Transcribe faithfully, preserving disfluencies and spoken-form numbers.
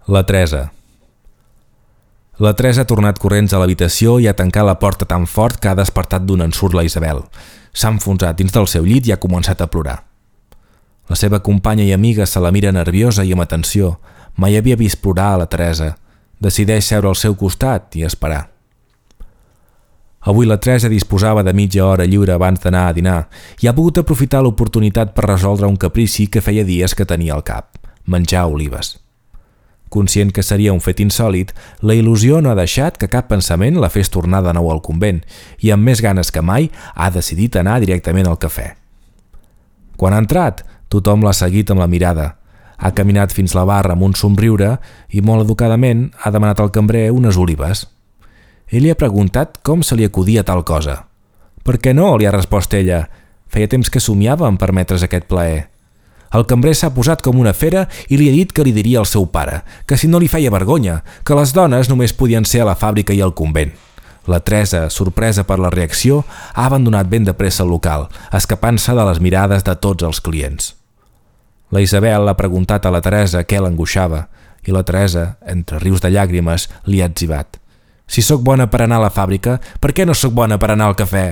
La Teresa. La Teresa ha tornat corrents a l'habitació i ha tancat la porta tan fort que ha despertat d'un ensurt la Isabel. S'ha enfonsat dins del seu llit i ha començat a plorar. La seva companya i amiga se la mira nerviosa i amb atenció. Mai havia vist plorar a la Teresa. Decideix seure al seu costat i esperar. Avui la Teresa disposava de mitja hora lliure abans d'anar a dinar i ha pogut aprofitar l'oportunitat per resoldre un caprici que feia dies que tenia al cap: menjar olives. Conscient que seria un fet insòlit, la il·lusió no ha deixat que cap pensament la fes tornar de nou al convent i amb més ganes que mai ha decidit anar directament al cafè. Quan ha entrat, tothom l'ha seguit amb la mirada. Ha caminat fins la barra amb un somriure i molt educadament ha demanat al cambrer unes olives. Ell li ha preguntat com se li acudia tal cosa. «Per què no?», li ha respost ella. Feia temps que somiava en permetre's aquest plaer. El cambrer s'ha posat com una fera i li ha dit que li diria al seu pare, que si no li feia vergonya, que les dones només podien ser a la fàbrica i al convent. La Teresa, sorpresa per la reacció, ha abandonat ben de pressa el local, escapant-se de les mirades de tots els clients. La Isabel ha preguntat a la Teresa què l'angoixava i la Teresa, entre rius de llàgrimes, li ha etzibat: «Si sóc bona per anar a la fàbrica, per què no sóc bona per anar al cafè?»